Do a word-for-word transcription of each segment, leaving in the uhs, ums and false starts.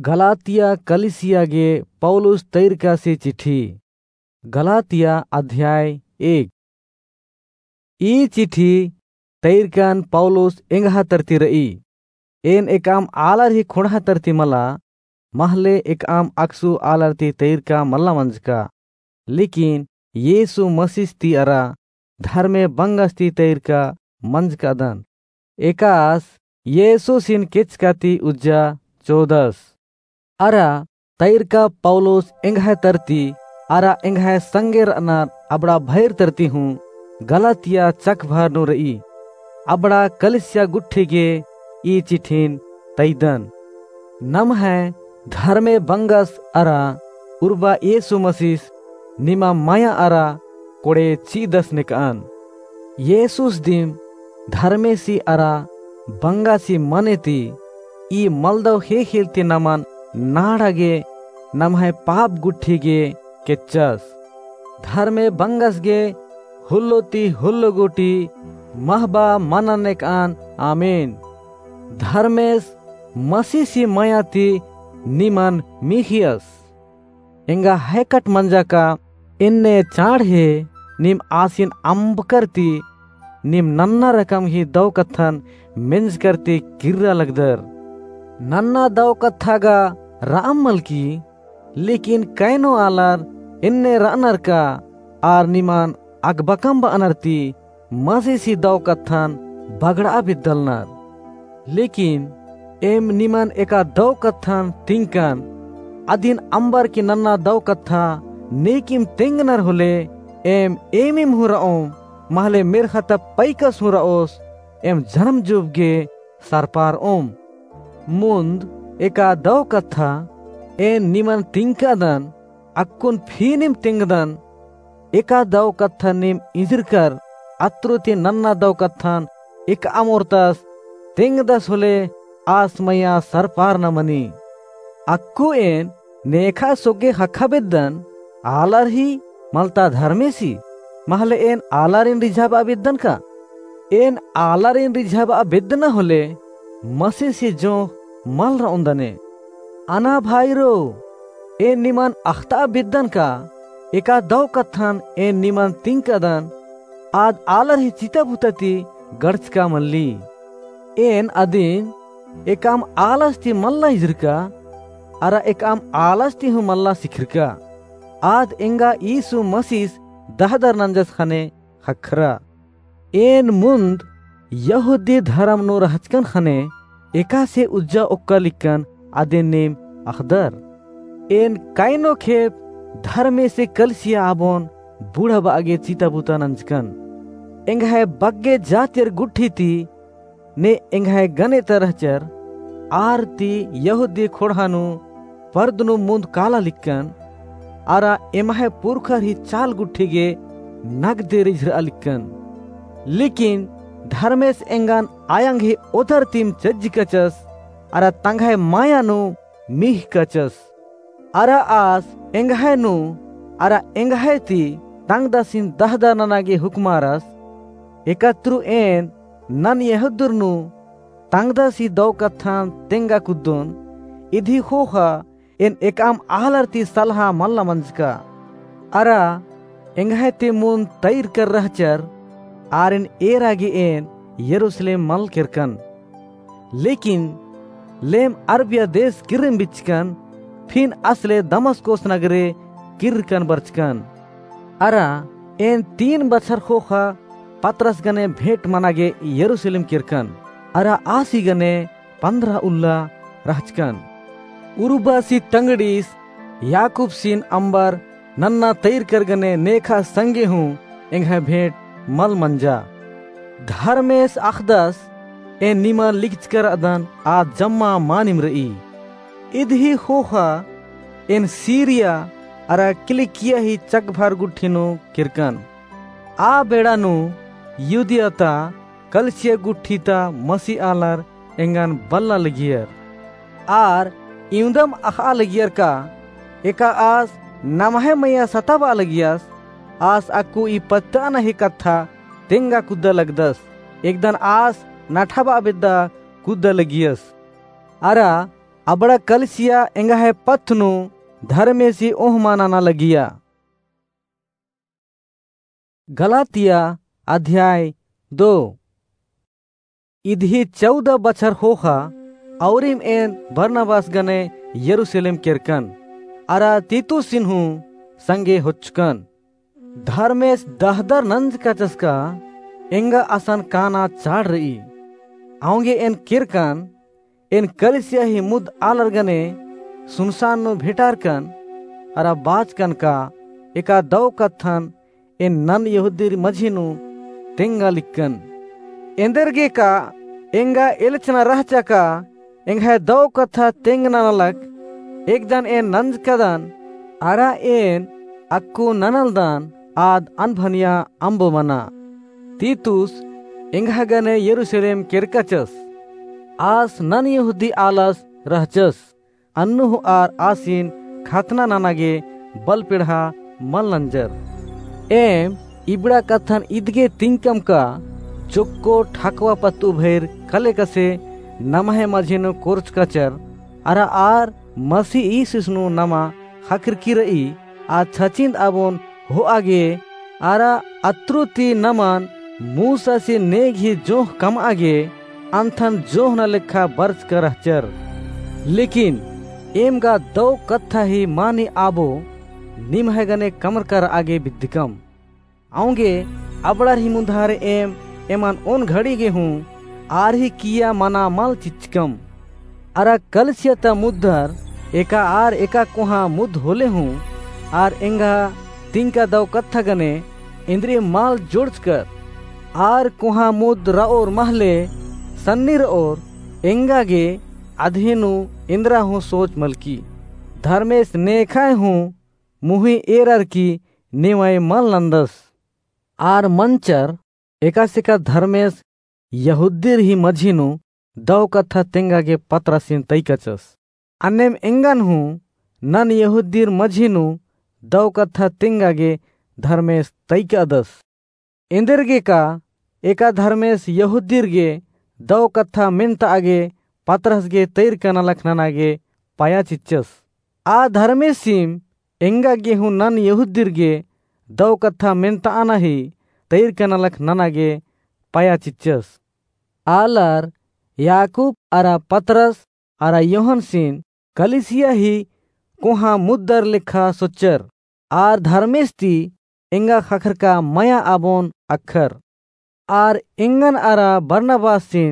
गलातिया कलिसिया गे पौलुस तैरकासी चिट्ठी। गलातिया अध्याय एक। ई चिट्ठी तैरकन पौलुस एंग्है तरती र'ई। एन एकअम आलर ही खोंड़हा तरती मला, महले एकअम अकसु आलर ती तैरका मल्ला मंजका। लेकिन येसु मसीस ती अरा धर्मे बंगस ती तैरका मंजकादन। एकास येसुसिन केचका ती उज्जा चोदस। अरा तैरका पौलुस एंग्है तरती अरा एंग्है संगे र'अनर अबड़ा भैर तरती हूँ गलातिया चकभर नू र'ई। अबड़ा कलिसिया गुट्ठी गे ई चिट्ठिन तैदन। नम्है धर्मे बंगस अरा उर्बा येसु मसीस निमा मया अरा कोड़े चि'अदस नेक'अन। येसुस दिम धर्मेसी अरा बंगासी मने ती ई मलदव ख़ेख़ेल ती नमन नाड़ा गे नम्है पाप गुट्ठी गे केच्चस। धर्मे बंगस गे हुल्लो ती हुल्लो गूटी महबा मनन नेक'अन। आमीन। धर्मेस मसीसी मया ती निमन मिख़ियस। एंगा हैकट मंजा का एन्ने चाँड़हे नीम आसिन अम्बकर ती नीम नन्ना रकम ही दव कत्थन मेंजकर ती किर्रा लगदर। नन्ना दव कत्था गा र'अम मलकी, लेकिन कैनो आलर एन्ने र'अनर का आर निमन अगबकम ब'अनर ती मसीसी दव कत्थन बगड़आ बेद्दलनर। लेकिन एम निमन एका दव कत्थन तिंकन, अदिन अम्बर की नन्ना दव कत्था नेकिम तेंगनर होले एम एमिम हूँ र'ओम, महले मेर्ख़ा ता पैकस हूँ र'ओस, एम जनम जुब गे सरपार'ओम। मुन्द एका दव कत्था एन निमन तिंकादन, अक्कुन फी नीम तेंगदन। एका दव कत्थन नीम इंजरकर अत्रु ती नन्ना दव कत्थन एकअम ओर्तस तेंगदस होले आस मया सरपारना मनी। अक्कु एन नेखा सोगे ख़क्खा बेद्दन, आलर ही मलता धर्मेसी, महले एन आलारिन रिझाबआ बेद्दन का? एन आलारिन रिझाबआ बेद्दना होले मसीसी जोंख़ मल र'ओन्दने। अना भाईरो, एन निमन अख़तआ बेद्दन का? एका दव कत्थन एन निमन तिंकादन, आद आलर ही चिता बुता ती गड़चका मल्ली। एन अदिन एकअम आलस ती मल्ला इंजरका, अरा एकअम आलस ती हूँ मल्ला सिखरका। आद एंगा यीशु मसीस दहदर नंजस ख़ने ख़क्खरा। एन मुन्द यहूदी धरम नू रहचकन ख़ने एकासे उज्जा ओक्का लिक्कन अदिन नीम अख़दर। एन कैनो खेप धर्मेसे कलिसिया आबोन बुड़ाबआ गे चिता बुता नंजकन। एंग्है बग्गे जातिर गुट्ठी ती ने एंग्है गने ता रहचर, आर ती यहूदी खोंड़हा नू परदनु मुन्द काला लिक्कन, अरा एम्है पुरखर ही चाल गुट्ठी गे नगदे रिझरआ लिक्कन। लेकिन धर्मेस एंगन आयंग ही ओदर तिम चज्जकचस, अरा तंग्है माया नू मिख़कचस। अरा आस एंग्है नू अरा एंग्है ती तंगदसिन दहदर नना गे हुक्मारस। एकतरु एन नन यहूदर नू तंगदसी दव कत्थन तेंगा कुद्दोन, इदी ख़ोख़ा एन एकअम आलर ती सलहा मल्ला मंजका। अरा एंग्है ती मुन्द तैरकर रहचर, आरिन एरा गे एन यरूसलेम मल केरकन। लेकिन लेम अरबिया देस किर्रम बिचकन, फिन असले दमस्कोस नगरे किर्रकन बरचकन। अरा एन तीन बछर ख़ोख़ा पतरस गने भेंट मना गे यरूसलेम केरकन। अरा आसी गने पन्द्रह उल्ला रहचकन। उर्बासी तंगड़ीस याकूबसिन अम्बर नन्ना तैरकर गने नेखा संगे हूँ एंग्है भेंट मल मंजा। धर्मेस अख़दस एन निमन लिकचकर अदन आ जम्मा मानिम र'ई। इदही ख़ोख़ा एन सीरिया अरा किलिकिया ही चकभर गुट्ठी नू केरकन। आ बेड़ा नू यहूदिया ता कलिसिया गुट्ठी ता मसी आलर एंगन बल्ला लगियर। आर इवंदम अख़आ लगियर का, एका आस नम्है मइय्याँ सताबआ लगियस, आस अक्कु ई पत्तअना ही कत्था तेंगा कुद्दा लगदस, एकदन आस नठाबआ बेद्दा कुद्दा लगियस। अरा अबड़ा कलिसिया एंग्है पत्त नू धर्मेसी ओहमा नना लगिया। गलातिया अध्याय दो। इदही चौदह बछर होखा, औरिम एन बरनबास गने यरूसलेम केरकन, अरा तीतुसिन हूँ संगे होच्चकन। धर्मेस दहदर नंजकाचस का एंगा असन काना चाड़ रई। औंगे एन केरकन, एन कलिसिया ही मुद आलर गने सुनसान नू भेंटारकन, अरा बाचकन का एका दौ कत्थन एन नन यहूदीर मझी नू तेंगा लिक्कन। एन्देरगे का एंगा एल्चना रहचा का एंग्है दौ कत्था तेंगना नलख, एकदन एन नंजकदन, अरा एन अक्कु ननलदन आद अनभनिया अम्बो मना। तीतुस एंग्है गने यरूसलेम केरकाचस। आस नन यहूदी आलस रहचस। अन्नु हूँ आर आसिन खतना नना गे बलपेड़हा मल नंजर। एम इबड़ा कत्थन इदगे तिंकम का चोक्को ठाकवा पत्तु भइर कलेकसे नम्है मझी नू कोरचकाचर, अरा आर मसीह ईसिस नू नमा ख़क्खरकी रई, आ छचिंद आबोन होआ गे, अरा अत्रु ती नमन मूसासी नेग ही जोंख़ कमआ गे, अन्थन जोंख़ना लेखा बरचका रहचर। लेकिन एम गा दौ कत्था ही मानी आबो निम्है गने कमरका रआ गे बिद्दकम। औंगे अबड़ार ही मुन्धारे एम एमन ओन घड़ी गे हूँ आर ही किया मना मल चिच्चकम। अरा कलिसिया ता मुद्दर एका आर एका कोहाँ मुद्द होले हूँ आर एंगा तिंका दौ कत्था गने एन्देर मल जोड़चकर। आर कोहाँ मुद्द रओर महले सन्नी रओर एंगा गे अदही नू एन्देरा हूँ सोच मलकी। धर्मेस नेखाय हूँ मुही एरर की नेवाय मल नन्दस। आर मंचर एकासे का धर्मेस यहूदीर ही मझी नू दौ कत्था तेंगा गे पतरसिन तइकाचस। अन्नेम एंगन हूँ नन यहूदीर मझी नू दौ कत्था तेंगा गे धर्मेस तइकादस। एन्देरगे का एका धर्मेस यहूदीर गे दौ कत्था मेन्तआ गे पतरस गे तैरका नलख नना गे पाया चिच्चस। आ धर्मेसिम एंगा गे हूँ नन यहूदीर गे दौ कत्था मेन्तआना ही तैरका नलख नना गे पाया चिच्चस। आलर याकूब अरा पतरस अरा यूहन्नसिन कलिसिया ही कोहाँ मुद्दर लेखा सोच्चर। आर धर्मेस ती एंगा ख़क्खरका मया आबोन अख़र। आर एंगन अरा बरनबासिन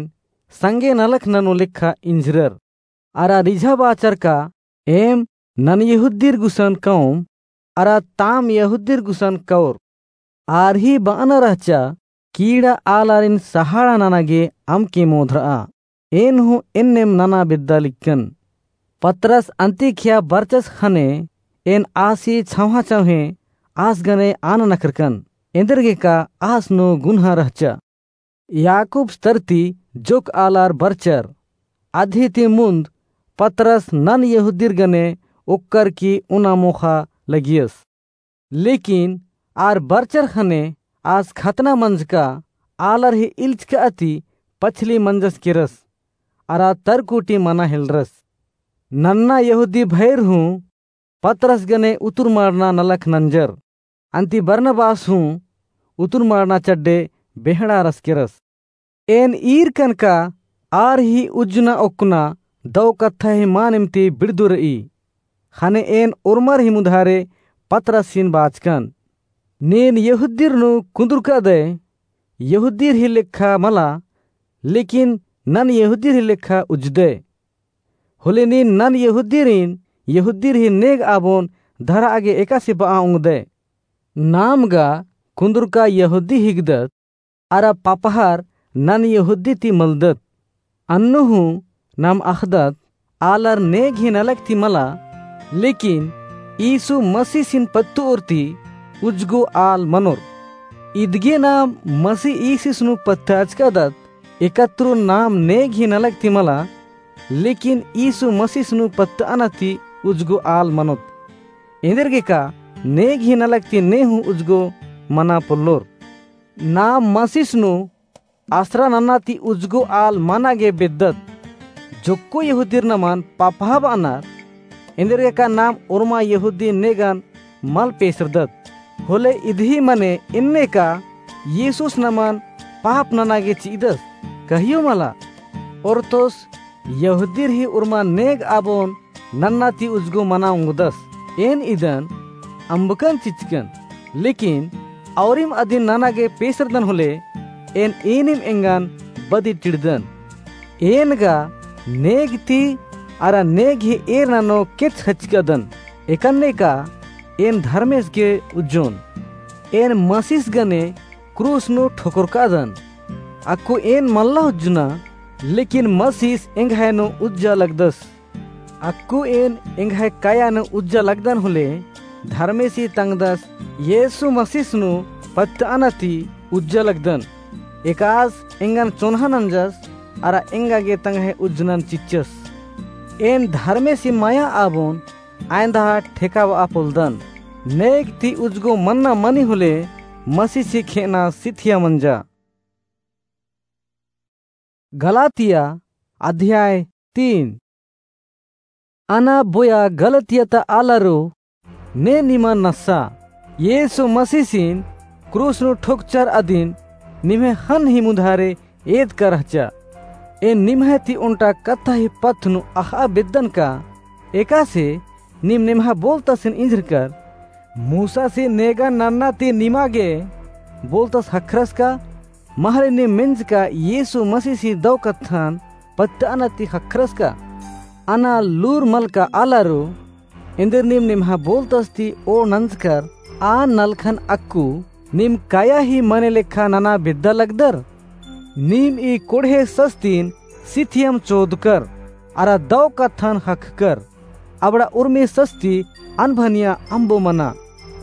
संगे नलख ननू लेखा इंझरर। अरा रिझा बाचर का एम नन यहूदीर गुसन कौम अरा ताम यहूदीर गुसन कौर। आर ही बअना रहचा कीड़ा आलारिन सहाड़ा नना गे अमके मोधरआ। एन हूँ एन्नेम नना बेद्दा लिक्कन। पतरस अन्तिखिया बरचस ख़ने एन आसी छौंहा छौंहे आस गने आना नखरकन। एन्देरगे का आस नू गुन्हा रहचा। याकूब स्तर ती जोक आलर बरचर। अदही ती मुन्द पतरस नन यहूदीर गने ओक्कर की उना मोखा लगियस। लेकिन आर बरचर ख़ने आस खतना मंजका आलर ही इल्चका ती पछली मंजस केरस, अरा तरकुटी मना हेलरस। नन्ना यहूदी भैर हूँ पतरस गने उतुरमाड़ना नलख नंजर। अन्ती बरनबास हूँ उतुरमाड़ना चड्डे बेहड़ा रसकेरस। एन ईरकन का आर ही उज्जना ओक्कना दौ कत्था ही मानिम ती बिड़दु रई। ख़ने एन ओर्मर ही मुधारे पतरसिन बाचकन। नीन यहूदीर नू कुन्दुरकादय, यहूदीर ही लेखा मला, लेकिन नन यहूदीर ही लेखा उज्जदय। होले नीन नन यहूदीरिन यहूदीर ही नेग आबोन धरआ गे एकासे बआ ओंगदय। नाम गा कुन्दुरका यहूदी हिकदत, अरा पपहर नन यहूदी ती मलदत। अन्नु हूँ नाम अख़दत, आलर नेग ही नलख ती मला, लेकिन यीशु मसीसिन पत्तओर ती उज्जगो आल मनोर। इदगे नाम मसी यीशुस नू पत्ताचकादत, एकत्रो नाम नेग ही नलख ती मला, लेकिन यीशु मसीस नू पत्तअना ती उज्जगो आल मनोत। एन्देरगे का नेग ही नलख ती ने हूँ उज्जगो मना पोल्लोर। नाम मसीस नू आसरा नना ती उज्जगो आल मना गे बेद्दत। जोक्को यहूदीर नमन पापहा बअनर, एन्देरगेका नाम ओर्मा यहूदी नेगन मल पेसरदत। होले इदही मने एन्ने का यीशुस नमन पाप नना गे चि'अदस? कहियो मला। ओर्तोस यहूदीर ही ओर्मा नेग आबोन नन्ना ती उजगो मना ओंगदस। एन इदन अम्बकन चिच्चकन, लेकिन औरिम अदिन नना गे पेसरदन होले, एन ईनिम एंगन बदी टिड़दन। एन गा नेग ती अरा नेग ही एर ननो केच खचकदन। एकन्ने का एन धर्मेस गे उज्जोन। एन मसीस गने क्रूस नू ठोकरकादन। अक्कु एन मल्ला उज्जना, लेकिन मसीस एंग्है नू उज्जा लगदस। अक्कु एन एंग्है काया नू उज्जा लगदन होले, धर्मेसी तंगदस यीशु मसीस नू पत्तअना ती उज्जा लगदन। एकास एंगन चोन्हा नंजस, अरा एंगा गे तंग्है उज्जनन चिच्चस। एन धर्मेसी मया आबोन आयंदा ठेकाब'आ पोलदन। नेग ती उजगो मन्ना मनी होले, मसीसी खे'अना सिथिया मंजा। गलातिया अध्याय तीन। अना बोया गलातिया ता आलारो, ने निमा नस्सा, यीशु मसीसिन क्रूस नू ठोकचर अदिन निम्है हन ही मुधारे एदका रहचा। एन निम्है ती ओन्टा कत्था ही पत्त नू अख़'आ बेद्दन का, एकासे नीम निम्है बोलतसिन इंझरकर, मूसासी नेगा नन्ना ती निमा गे बोलतस ख़क्खरस का? महले नीम मेंजका यीशु मसीसी दौ कत्थन पत्तअना ती ख़क्खरस का? अना लूर मलका आलारो, एन्देर नीम निम्है बोलतस ती ओड़ नंजकर आ नलखन अक्कु नीम काया ही मने लेखा नना बेद्दा लगदर? नीम ई कोड़हे सस्तिन सिथियम चोदकर, अरा दौ कत्थन ख़क्खकर, अबड़ा उर्मी सस्ती अनभनिया अम्बो मना।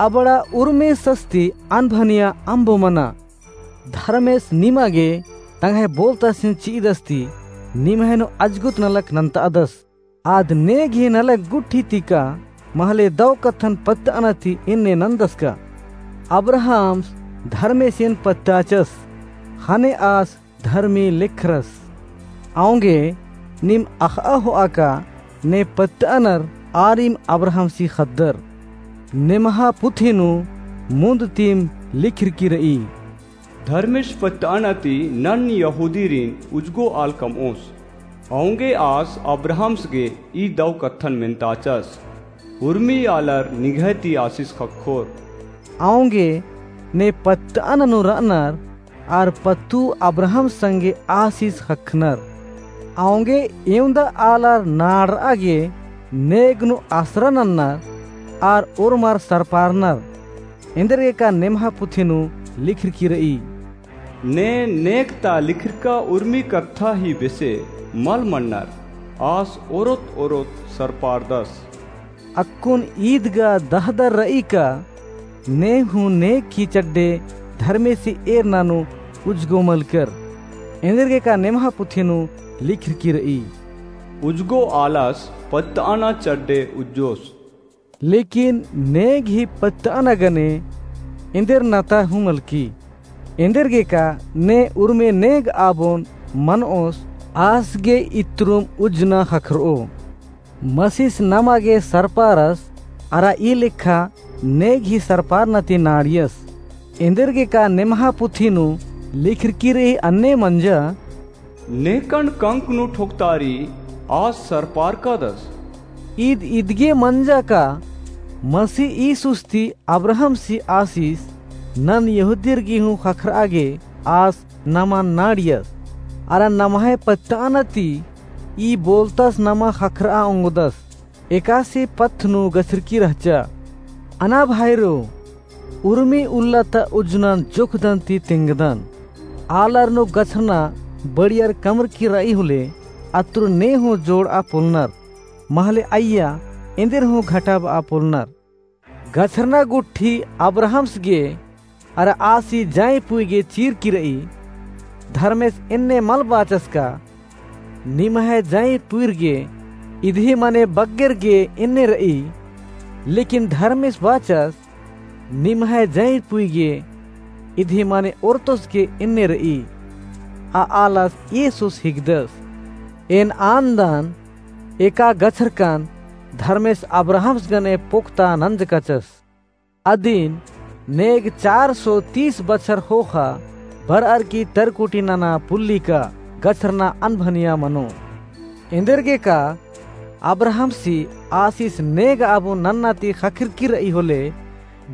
अबड़ा उर्मी सस्ती अनभनिया अम्बो मना। धर्मेस निमा गे तंग्है बोलतसिन चि'अदस ती निम्है नू अजगुत नलख नन्त'अदस। आद नेग ही नलख गुट्ठी ती का महले दौ कत्थन पत्तअना ती एन्ने नन्दस का? अब्राहम्स धर्मेसिन पत्त'अचस, ख़ने आस धर्मी लेखरस। औंगे नीम अख़'आ हो'आ का ने पत्तअनर आरिम अब्राहम्सी ख़द्दर। नेम्है पुथी नू मुन्द तिम लिखरकी र'ई। धर्मेस पत्तअना ती नन यहूदीरिन उजगो आल कम'ओस। औंगे आस अब्राहम्स गे ई दौ कत्थन मेन्ताचस, उर्मी आलर निंग्है ती आसिस ख़क्खोर। औंगे ने पत्तअना नू र'अनर, आर पत्तु अब्राहम्स संगे आसिस ख़क्खनर। औंगे एवंदा आलर नाड़'आ गे नेग नू आसरा नन्नर, आर ओर्मर सरपारनर। एन्देरगेका नेम्है पुथी नू लिखरकी र'ई। ने नेग ता लिखरका उर्मी कत्था ही बेसे मल मन्नर, आस ओरोत ओरोत सरपारदस। अक्कुन ईद गा दहदर र'ई का ने हूँ नेग ही चड्डे धर्मेसी एरना नू उजगो मलकर। एन्देरगेका नेम्है पुथी नू लिखरकी र'ई। उजगो आलस पत्तअना चड्डे उज्जोस। लेकिन नेग ही पत्तअना गने एन्देर नता हूँ मलकी। एन्देरगेका ने उर्मी नेग आबोन मन'ओस, आस गे इत्तरुम उज्जना ख़क्खर'ओ। मसीस नमा गे सरपारस, अरा ई लेखा नेग ही सरपारना ती नाड़ियस। एन्देरगेका नेम्है पुथी नू लिखरकी र'ई अन्ने मंजा। नेकन कंक नू ठोकतारी आस सरपारकादस। ईद इदगे मंजा का मसीह यीशुस ती अब्राहम्सी आसिस नन यहूदीर गे हूँ ख़क्खर'आ गे आस नमा नाड़ियस। अरा नम्है पत्तअना ती ई बोलतस नमा ख़क्खर'आ ओंगदस। एकासे पत्त नू गछरकी रहचा। अना भाईरो, उर्मी उल्ला ता उज्जनन जोखदन ती तेंगदन। आलर नू गछरना बड़ियर कमरकी र'ई होले, अत्तुर ने हूँ जोड़'आ पोलनर। महले अइय्या एन्देर हूँ घटाब'आ पोलनर। गछरना गुट्ठी अब्राहम्स गे अरा आसी जंय पुई गे चीरकी र'ई। धर्मेस एन्ने मल बाचस का, निम्है जंय पुईर गे इदही मने बग्गेर गे एन्ने र'ई। लेकिन धर्मेस बाचस, निम्है जंय पुई गे इदही मने ओर्तोस गे एन्ने र'ई। आ आलस यीशुस हिकदस। एन आन्दन एका गछरकन धर्मेस अब्राहमस गने पोक्ता नंजकाचस। अदिन नेग चार सौ तीस बछर ख़ोख़ा बरअर की तरकुटी नना पुल्ली का गछरना अनभनिया मनो। एन्देरगे का अब्राहमसी आसिस नेग आबो नन्ना ती ख़क्खरकी रई होले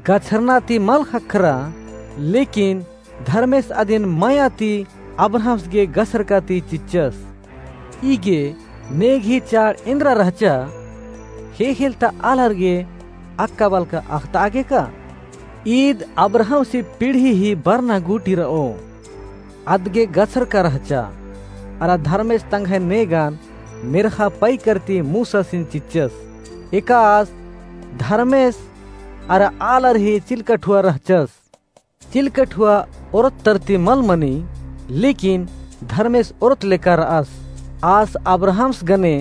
गछरना ती मल ख़क्खरा, लेकिन धर्मेस अदिन मया ती अब्राहमस गे गछरका ती चिच्चस। ईगे नेग ही चाड़ एन्दरा रहचा, ख़ेख़ेल ता आलर गे अक्का बलका अख़तआ गे का? ईद अब्राहमसी पीढ़ी ही बरना गूटी रओ। अदगे गछरका रहचा, अरा धर्मेस तंग्है नेगन मेर्ख़ा पइकर ती मूसासिन चिच्चस। एका आस धर्मेस अरा आलर ही चिलकठुआ रहचस। चिलकठुआ ओरत तरती मल मनी, लेकिन धर्मेस ओरत लेका रअस। आस अब्राहमस गने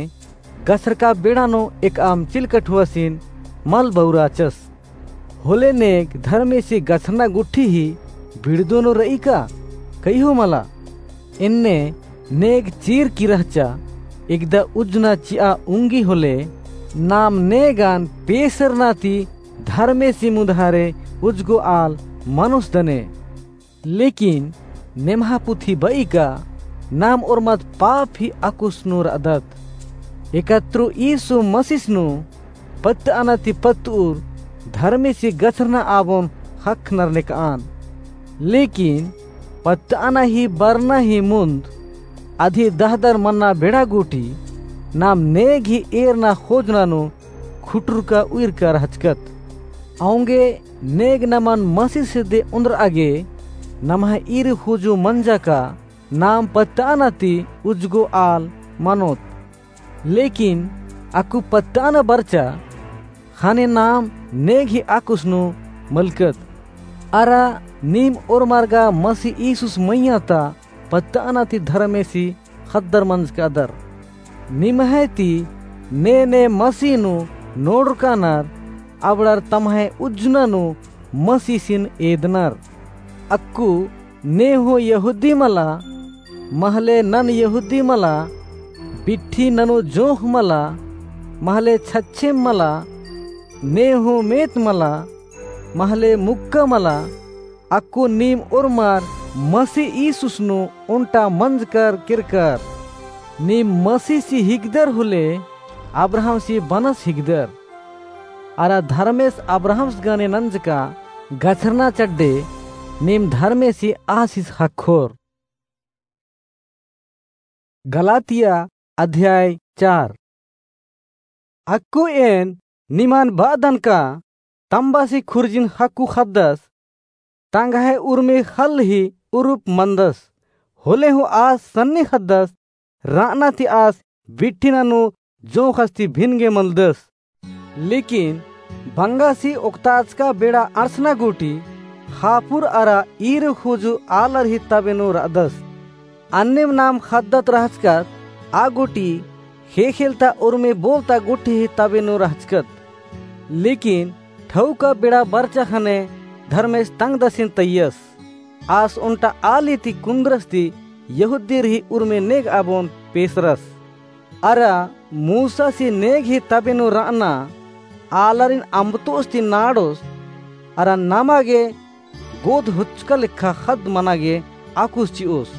गछरका बेड़ा नू एकअम चिलकठुआसिन मल बउराचस। होले नेग धर्मेसी गछरना गुट्ठी ही बिड़दो नू रई का? कइहो मला। एन्ने नेग चीरकी रहचा, एकदा उज्जना चिआ उंगी होले, नाम नेगन पेसरना ती धर्मेसी मुधारे उज्जगो आल मनोस दने। लेकिन नेम्हा पुथी बई का नाम ओर्मद पाप ही अक्कुस नू रअदत। एकत्रो यीशु मसीस नू पत्तअना ती पत्तउर धर्मेसी गछरना आबोन ख़क्खनर नेकआन। लेकिन पत्तअना ही बरना ही मुन्द अदी दहदर मन्ना बेड़ा गूटी नाम नेग ही एरना ख़ोजना नू खुटुरका उइरका रहचकत। औंगे नेग नमन मसीस हेद्दे ओन्द्रआ गे नम्है ईर ख़ुजु मंजा का नाम पत्तअना ती उज्जगो आल मनोत। लेकिन अक्कु पत्तअना बरचा ख़ने नाम नेग ही अक्कुस नू मलकत। अरा नीम ओर्मर गा मसी यीशुस मइय्याँ ता पत्तअना ती धर्मेसी ख़द्दर मंजकादर। निम्है ती ने ने मसी नू नोड़रकानर, अबड़र तम्है उज्जना नू मसीसिन एदनर। अक्कु ने हूँ यहूदी मला, महले नन यहूदी मला, बिट्ठी ननू जोंख़ मला, महले छच्छेम मला, ने हूँ मेत मला, महले मुक्का मला, अक्कु नीम ओर्मर मसी यीशुस नू ओन्टा मंजकर केरकर। नीम मसीसी हिकदर होले अब्राहमसी बनस हिकदर। अरा धर्मेस अब्राहमस गने नंजका गछरना चड्डे नीम धर्मेसी आसिस ख़क्खोर। गलातिया अध्याय चार। अक्कु एन निमन बअदन का तम्बासी खुर्जिन ख़क्खु ख़द्दस तंग्है उर्मी ख़ल्ल ही उरुप मंदस। होले हूँ आस सन्नी ख़द्दस रअना ती आस बिट्ठी ननू जोंख़स ती भिन गे मलदस। लेकिन बंगासी ओक्ताचका बेड़ा अंड़सना गूटी ख़ापुर अरा ईर ख़ुजु आलर ही तबे नू रअदस। अन्नेम नाम ख़द्दत रहचकत आ गूटी ख़ेख़ेल ता उर्मी बोलता गुट्ठी ही तबे नू रहचकत। लेकिन ठौका बेड़ा बरचा ख़ने धर्मेस तंगदसिन तइयस। आस ओन्टा आली ती कुन्दरस ती यहूदीर ही उर्मी नेग आबोन पेसरस। अरा मूसासी नेग ही तबे नू रअना आलारिन अम्बतोस ती नाड़ोस, अरा नमा गे गोद हुचका लेखा ख़द्द मना गे आकुस चिओस।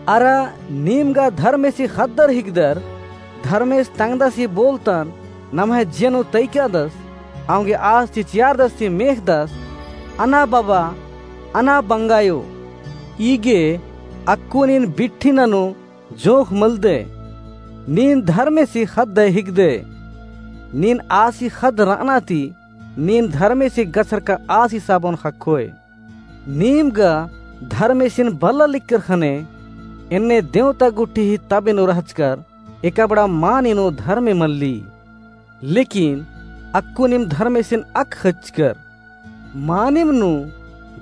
अरा नीम गा धर्मेसी ख़द्दर हिकदर, धर्मेस तंगदसी बोलतन नम्है जिया नू तइकादस, औंगे आस चिचियारदस ती मेख़दस, अना बबा, अना बंगायो। ईगे अक्कु नीन बिट्ठी ननू जोंख़ मलदय। नीन धर्मेसी ख़द्दय हिकदय। नीन आसी ख़द्द रअना ती नीन धर्मेसी गछरका आसिस आबोन ख़क्खोय। नीम गा धर्मेसिन बल्ला लिक्कर ख़ने एन्ने देवता गुट्ठी ही तबे नू रहचकर एका बड़ा मानी नू धर्मे मल्ली। लेकिन अक्कु नीम धर्मेसिन अक ख़च्चकर। मानिम नू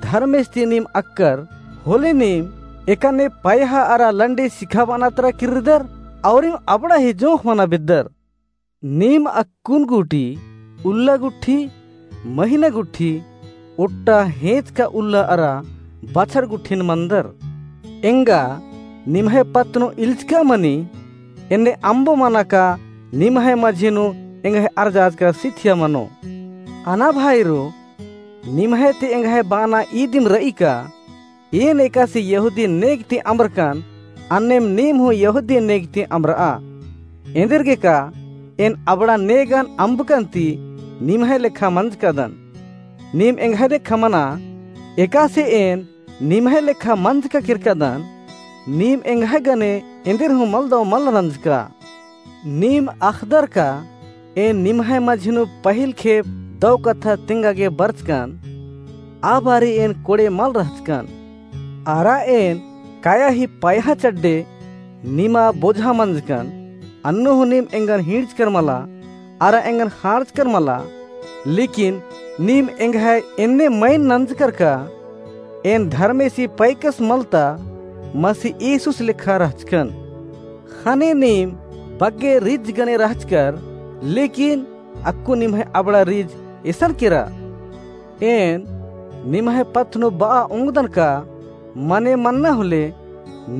धर्मेस ती नीम अक्कर, होले नीम एकाने पयहा अरा लंडी सिखाबअना तरा किर्रदर, औरिम अबड़ा ही जोंख़ मना बेद्दर। नीम अक्कुन गूटी उल्ला गुट्ठी, महीना गुट्ठी, ओट्टा हेंचका उल्ला अरा बछर गुट्ठिन मंदर। एंगा निम्है पत्त नू इल्चका मनी, एन्ने अम्बो मना का निम्है मझी नू एंग्है अरजाचका सिथिया मनो। अना भाईरो, निम्है ती एंग्है बअना ईदिम रई का, एन एकासे यहूदी नेग ती अम्बरकन, अन्नेम नीम हूँ यहूदी नेग ती अम्बरआ। एन्देरगे का एन अबड़ा नेगन अम्बकन ती निम्है लेखा मंजकादन। नीम एंग्है लेखा मना, एकासे एन निम्है लेखा मंजका केरकादन, नीम एंग्है गने एन्देर हूँ मलदव मल नंजका। नीम अख़दर का एन निम्है मझी नू पहिल खेप दव कत्था तेंगा गे बरचकन, आ बारी एन कोड़े मल रहचकन। अरा एन काया ही पयहा चड्डे निमा बोझा मंजकन, अन्नु हूँ नीम एंगन हींड़चकर मला, अरा एंगन ख़ांड़चकर मला, लेकिन नीम एंग्है एन्ने मइन नंजकर का, एन धर्मेसी पैकस मलता मसीह यीशुस लेखा रहचकन। ख़ने नीम बग्गे रिज गने रहचकर, लेकिन अक्कु निम्है अबड़ा रिज एसन केरा। एन निम्है पत्त नू बआ ओंगदन का मने मन्ना होले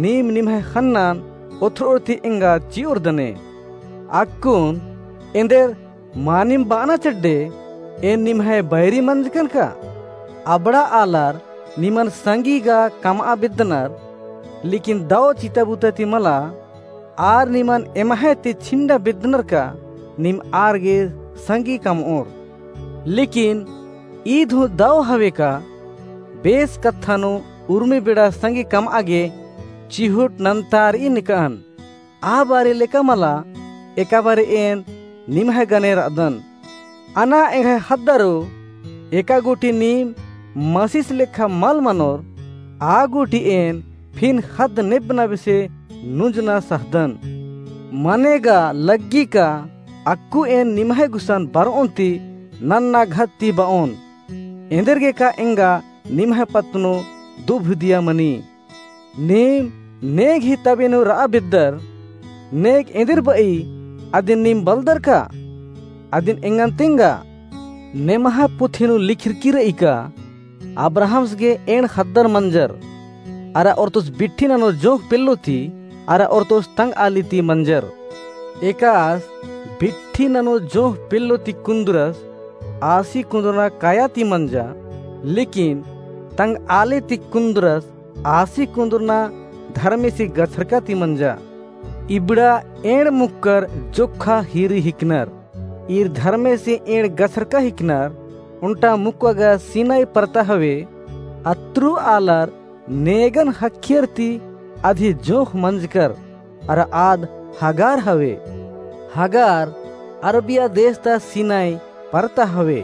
नीम निम्है ख़न्नन ओथ्रोर ती एंगा चिओरदने। अक्कुन एन्देर मानिम बअना चड्डे एन निम्है बैरी मंजकन का? अबड़ा आलर निमन संगी गा कमआ बेद्दनर, लेकिन दव चिता बुता ती मला, आर निमन एम्है ती छिंडा बेद्दनर का नीम आर गे संगी कमओर। लेकिन ईद हूँ दव हवे का बेस कत्था नू उर्मी बेड़ा संगी कमआ गे चिहुट नन्तारई निकअन। आ बारी लेका मला एका बारी एन निम्है गने रअदन। अना एंग्है ख़द्दरो, एका गूटी नीम मसीस लेखा मल मनोर, आ गूटी एन फिन ख़द्द नेब्बना बेसे नुंजना सहदन। मने गा लग्गी का अक्कु एन निम्है गुसन बरओन ती नन्ना घत ती बओन। एन्देरगे का एंगा निम्है पत्त नू दुभिदिया मनी। नीम नेग ही तबे नू रआ बेद्दर, नेग एन्देर बई अदिन नीम बलदर का? अदिन एंगन तेंगा। नेम्है पुथी नू लिखरकी रई का, अब्राहमस गे एंड़ ख़द्दर मंजर, अरा ओर्तोस बिट्ठी ननोर जोंख़ पेल्लो ती, अरा ओर्तोस तंग आली ती मंजर। एकास बिट्ठी ननोर जोंख़ पेल्लो ती कुन्दुरस आसी कुन्दुरना काया ती मंजा, लेकिन तंग आली ती कुन्दुरस आसी कुन्दुरना धर्मेसी गछरका ती मंजा। इबड़ा एंड़ मुक्कर जोक्खा हीरी हिकनर। ईर धर्मेसी एंड़ गछरका हिकनर, ओन्टा मुक्का गा सीनाई परता हवे। अत्रु आलर नेगन ख़क्खियर ती अदी जोंख़ मंजकर, अरा आद हगार हवे। हगार अरबिया देश ता सीनाई परता हवे।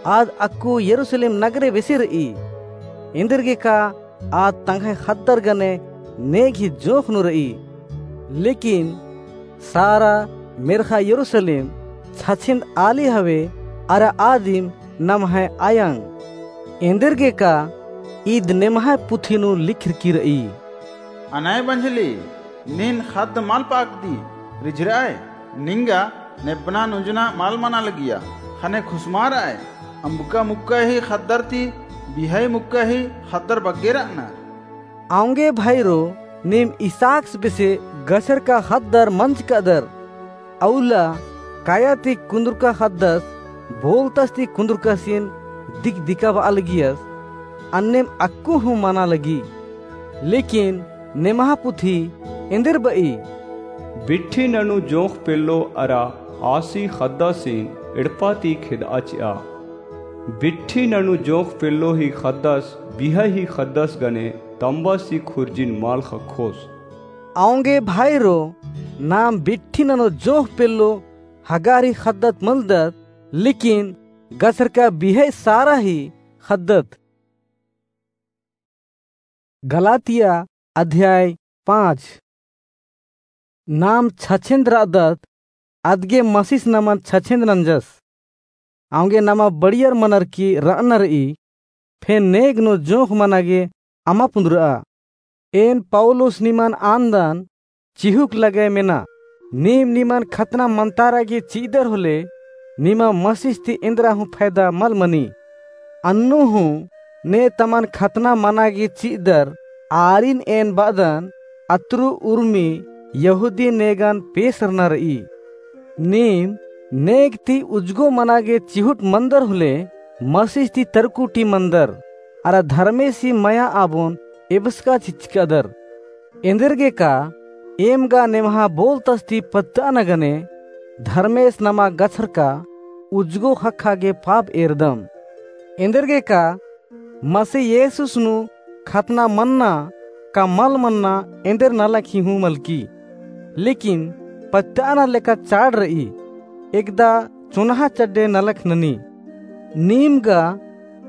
आद अक्कु यरूसलेम नगरे बेसे रई। एन्देरगे का आद तंग्है ख़द्दर गने नेग ही जोंख़ नू रई। लेकिन सारा मेर्ख़ा यरूसलेम छछेन्द आली हवे, अरा आदिम नम्है अयंग। एन्देरगे का ईद नेम्है पुथी नू लिखरकी रई। अनय बंझली, नीन ख़द्द मल पाकदी, रिझरअय, निंगा नेब्बना नुंजना मल मना लगिया, ख़ने खुसमारअय, अम्बका मुक्का ही ख़द्दर ती बिहई मुक्का ही ख़द्दर बग्गे रअनर। औंगे भाईरो, नीम इसहाकस बेसे गछरका ख़द्दर मंजकादर। अउला काया ती कुन्दुरका ख़द्दस बोलतस ती कुन्दुरकासिन दिक दिकाबआ लगियस, अन्नेम अक्कु हूँ मना लगी। लेकिन नेम्है पुथी एन्देर बई, बिट्ठी ननू जोंख़ पेल्लो अरा आसी ख़द्दासिन एड़पा ती खेदआ चिआ। बिट्ठी ननू जोंख़ पेल्लो ही ख़द्दस बिहई ही ख़द्दस गने तम्बस ही खुर्जिन मल ख़क्खोस। औंगे भाईरो, नाम बिट्ठी ननू जोंख़ पेल्लो हगार ही ख़द्दत मलदत, लेकिन गछरका बिहई सारा ही ख़द्दत। गलातिया अध्याय पाँच। नाम छछेन्द रअदत, अदगे मसीस नमन छछेन्द नंजस। औंगे नमा बड़ियर मनर की रअनर ई, फेन नेग नू जोंख़ मना गे अमा पुन्दुरआ। एन पौलुस निमन आन्दन चिहुक लगय मेना, नीम निमन खतना मन्तारा गे चिअदर होले, निमा मसीस ती एन्दरा हूँ फैदा मल मनी। अन्नु हूँ ने तमन खतना मना गे चिअदर, आरिन एन बअदन, अतरु उर्मी यहूदी नेगन पेसरना र'ई। नीम नेग ती उजगो मना गे चिहुट मंदर होले मसीस ती तरकुटी मंदर, अरा धर्मेसी मया आबोन एबसका चिचकादर। एन्देरगे का एम गा नेम्हा बोलतस ती पत्त'अना गने धर्मेस नमा गछरका उजगो ख़क्खा गे पाप एरदम। एन्देरगे का मसीह येसुस नू खतना मन्ना का मल मन्ना एन्देर नलख ही हूँ मलकी। लेकिन पत्त'अना लेका चाड़ र'ई, एकदा चोन्हा चड्डे नलख ननी। नीम गा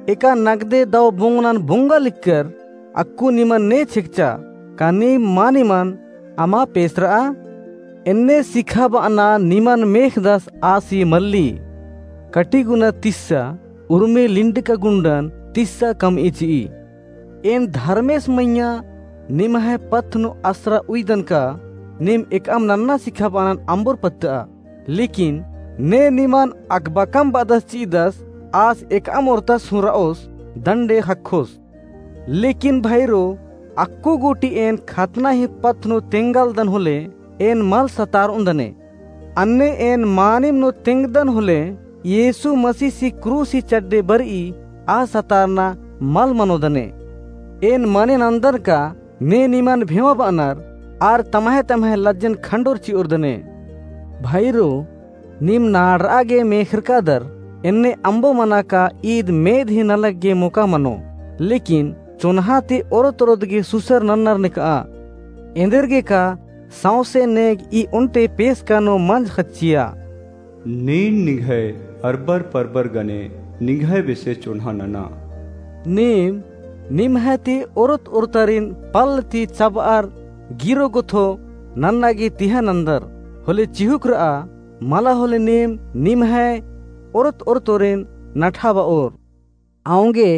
एका नगदे दव बोंगनन बोंगा लिक्कर अक्कु निमन ने छेकचा, का नीम मानिमन अमा पेसर'आ? एन्ने सिखाब'अना निमन मेख़दस आसी मल्ली। कटिगुना तिस्सा उर्मी लिंडका गुंडन तिस्सा कम'ई चि'ई। एन धर्मेस मइय्याँ निम्है पत्थ नू असरा उइदन का नीम एकअम नन्ना सिखाब'अनन अम्बोर पत्त'आ। लेकिन ने निमन अकबकम ब'अदस चि'दस आस एकअम ओर्तस हूँ र'ओस दंडे ख़क्खोस। लेकिन भइरो अक्कु गूटी एन खतना ही पत्थ नू तेंगालदन होले एन मल सतार'ओन्दने। अन्ने एन मानिम नू तेंगदन होले येसु मसीसी क्रूसी चड्डे बर'ई आ सतारना मल मनोदने। एन मने नन्दन का ने निमन भेंवा ब'अनर आर तम्है तम्है लज्जन खंडोर चि'ओरदने। भइरो नीम नाड़र'आ गे मेख़रकादर, एन्ने अम्बो मना का ईद मेद ही नलख गे मोका मनो। लेकिन चोन्हा ती ओरोत ओरोत गे सुसर नन्नर नेक'आ। एन्देरगे का सौंसे नेग ई ओन्टे पेसका नू मंज ख़च्चिया। नीन निंग्है अरबर परबर गने निंग्है बेसे चोन्हा नना। नीम निम्है ती ओरोत ओरोतरिन पल्ल ती चब'अर गिरो गुथो नन्ना गे तिहा नन्दर। होले चिहुक र'आ मला होले नीम निम्है ओरोत ओरोतोरिन नठा ब'ओर। औंगे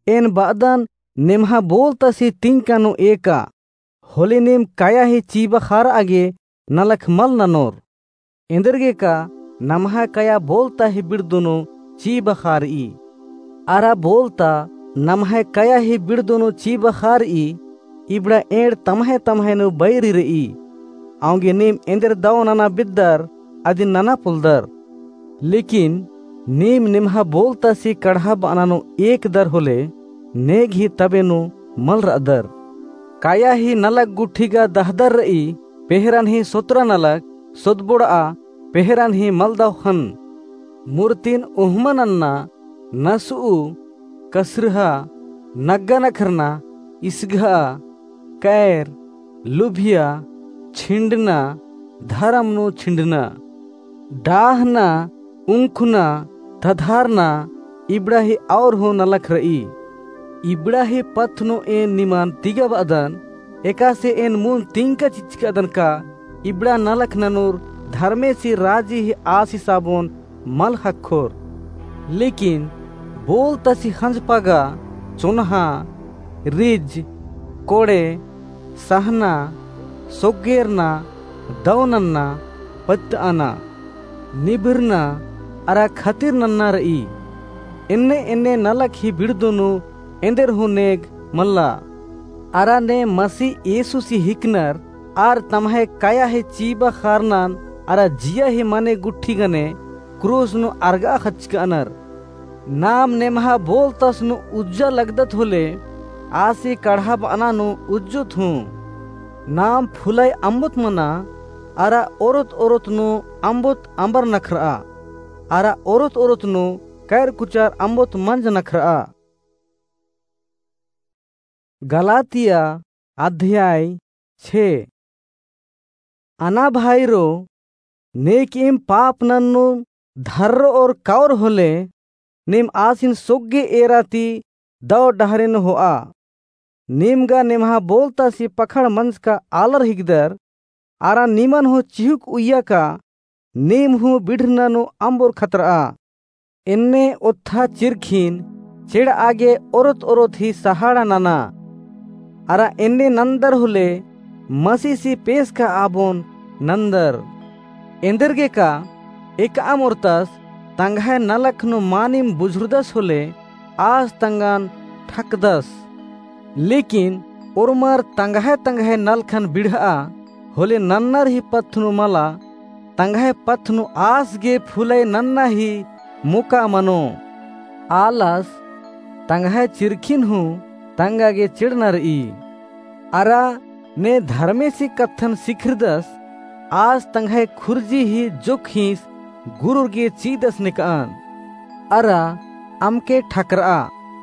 एन ब'अदन नेम्हा बोलतसी तिंका नू एका। होले नीम कया ही चीबा ख़ार'आ गे नलख मल ननोर। एन्देरगे का नम्है कया बोलता ही बिड़दो नू चीबा ख़ार'ई। अरा बोलता नम्है कया ही बिड़दो नू चीबा ख़ार'ई, इबड़ा एंड़ तम्है तम्है नू बैरी र'ई। औंगे नीम एन्देर दव नना बिद्दर अदिन नना पोलदर। लेकिन नीम निम्हा बोलतसी कड़हा ब'अना नू एकदर होले नेग ही तबे नू मल र'अदर। कया ही नलख गुट्ठी गा दहदर र'ई, पेहरन ही सोतरा नलख सोदबोड़'आ, पेहरन ही मलदव ख़न्न। मुर्तिन उहमा नन्ना, नस'ऊ, कसरहा, नग्गा नखरना, इसघा, कैर, लुभिया, छिंडना, धरम नू छिंडना, डाहना, उंखुना, धधारना, इबड़ा ही और हूँ नलख र'ई। इबड़ा ही पत्थ नू एन निमन तिगा ब'अदन, एकासे एन मुन्द तिंका चिचकादन का इबड़ा नलख ननोर धर्मेसी राजी ही आसिस आबोन मल ख़क्खोर। लेकिन बोलतसी ख़ंजपा गा चोन्हा, रिज, कोड़े, सहना, सोग्गेरना, दव नन्ना, पत्त'अना, निभरना, अरा खतिर नन्ना र'ई। एन्ने एन्ने नलख ही बिड़दो नू एन्देर हूँ नेग मल्ला। अरा ने मसीह येसुसी हिकनर आर तम्है कया ही चीबा ख़ारनन अरा जिया ही मने गुट्ठी गने क्रूस नू अरग'आ ख़च्चक'अनर। नाम नेम्हा बोलतस नू उज्जा लगदत होले आसी कड़हा ब'अना नू उज्जोत हूँ। नाम फुलई अम्बोत मना, अरा ओरोत ओरोत नू अम्बोत अम्बर नखर'आ, अरा ओरोत ओरोत नू कैर कुचार अम्बोत मंज नखर'आ। गलातिया अध्याय छे। अना भाईरो, नेकिम पाप नन्नुम धर्र और कौर होले, नीम आसिन सोग्गे एरा ती दव डहरेन हो'आ। नीम गा नेम्हा बोलतासी पखड़ मंजका आलर हिकदर, अरा निमन हूँ चिहुक उइया का नीम हूँ बिढ़रना नू अम्बोर खतर'आ। एन्ने ओत्था चिरखिन चेड़'आ गे ओरोत ओरोत ही सहाड़ा नना। अरा एन्ने नन्दर होले मसीसी पेसका आबोन नन्दर। एन्देरगे का एकअम ओर्तस तंग्है नलख नू मानिम बुझुरदस होले आस तंगन ठकदस। लेकिन ओर्मर तंग्है तंग्है नलखन बिढ़'आ, होले नन्नर ही पत्थ नू मला, तंग्है पत्थ नू आस गे फूलई नन्ना ही मोका मनो। आलस तंग्है चिरखिन हूँ तंगा गे चिड़ना र'ई। अरा ने धर्मेसी कत्थन सिखरदस, आस तंग्है खुर्जी ही जोखिस गुरुर गे चीदस नेक'अन। अरा अमके ठकर'आ,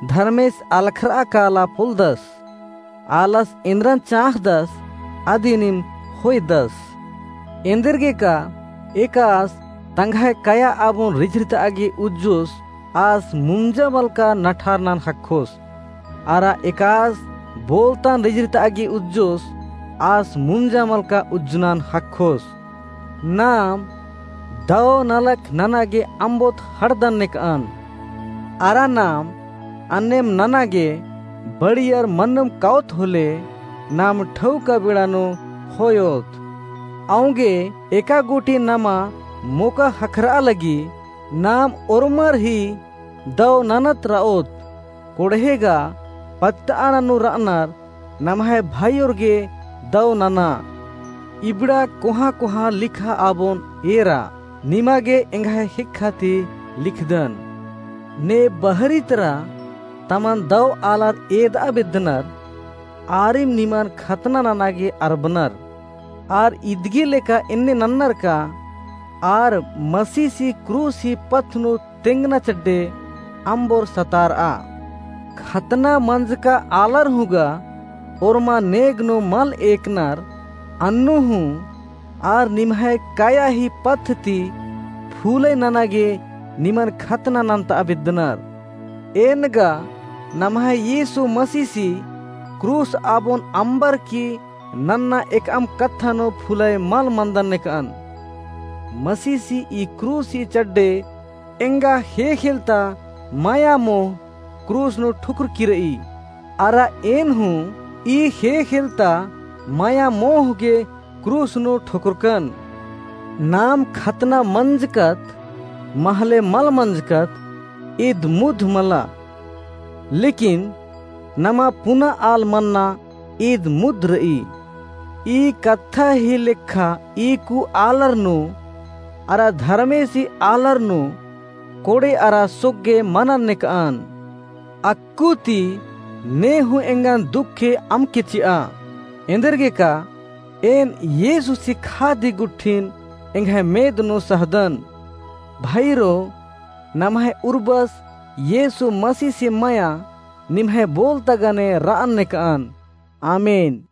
धर्मेस अलखर'आ काला पोलदस। आलस एन्दरन चाँख़दस, अदिनिम होयदस। एन्देरगेका एकास तंग्है कया आबोन रिझरित'आ गे उज्जोस, आस मुंजा मलका नठार नन ख़क्खोस। अरा एकास बोलतन रिझरित'आ गे उज्जोस, आस मुंजा मलका उज्जनन ख़क्खोस। नाम दौ नलख नना गे अम्बोत ख़ड़दन नेक'अन। अरा नाम अन्नेम नना गे बड़ियर मन्नुम काओत होले, नाम ठौका बेड़ा नू होयोत। औंगे एका गूटी नमा मोका ख़क्खर'आ लगी, नाम ओर्मर ही दौ ननत र'ओत। कोड़हे गा पत्त'आ ननू र'अनर नम्है भाईयोर गे दौ नना। इबड़ा कोहाँ कोहाँ लिखा आबोन एरा, निमा गे एंग्है हिक्खा ती लिखदन। ने बहरी तरा तमन दौ आलर एद'आ बेद्दनर, आरिम निमन खतना नना गे अरबनर। आर इदगे लेका एन्ने नन्नर का, आर मसीसी क्रूस ही पत्थ नू तेंगना चड्डे अम्बोर सतार'आ। खतना मंजका आलर हूँ गा ओर्मा नेग नू मल एकनर, अन्नु हूँ आर निम्है कया ही पत्थ ती फूलई नना गे निमन खतना नन्त'आ बेद्दनर। एन गा नम्है यीसु मसीसी क्रूस आबोन अम्बर की नन्ना एकअम कत्था नू फूलई मल मन्दन नेक'अन। मसीसी ई क्रूस ही चड्डे एंगा ख़ेख़ेलता मया मोह क्रूस नू ठुकरकी र'ई। अरा एन हूँ ई ख़ेख़ेलता मया मोह गे क्रूस नू ठुकरकन। नाम खतना मंजकत महले मल मंजकत ईद मुद्ध मला। लेकिन नमा पुना आल मन्ना ईद मुद्ध र'ई। ई कत्था ही लेखा ईकु आलर नू अरा धर्मेसी आलर नू कोड़े अरा सोग्गे मनन नेक'अन। अक्कु ती ने हूँ एंगन दुखे अमके चि'आ। एन्देरगेका एन यीसुसी खादी गुट्ठिन एंग्है मेद नू सहदन। भाईरो, नम्है उर्बस यीसु मसीसी मया निम्है बोलता गने र'अन नेक'अन। आमीन।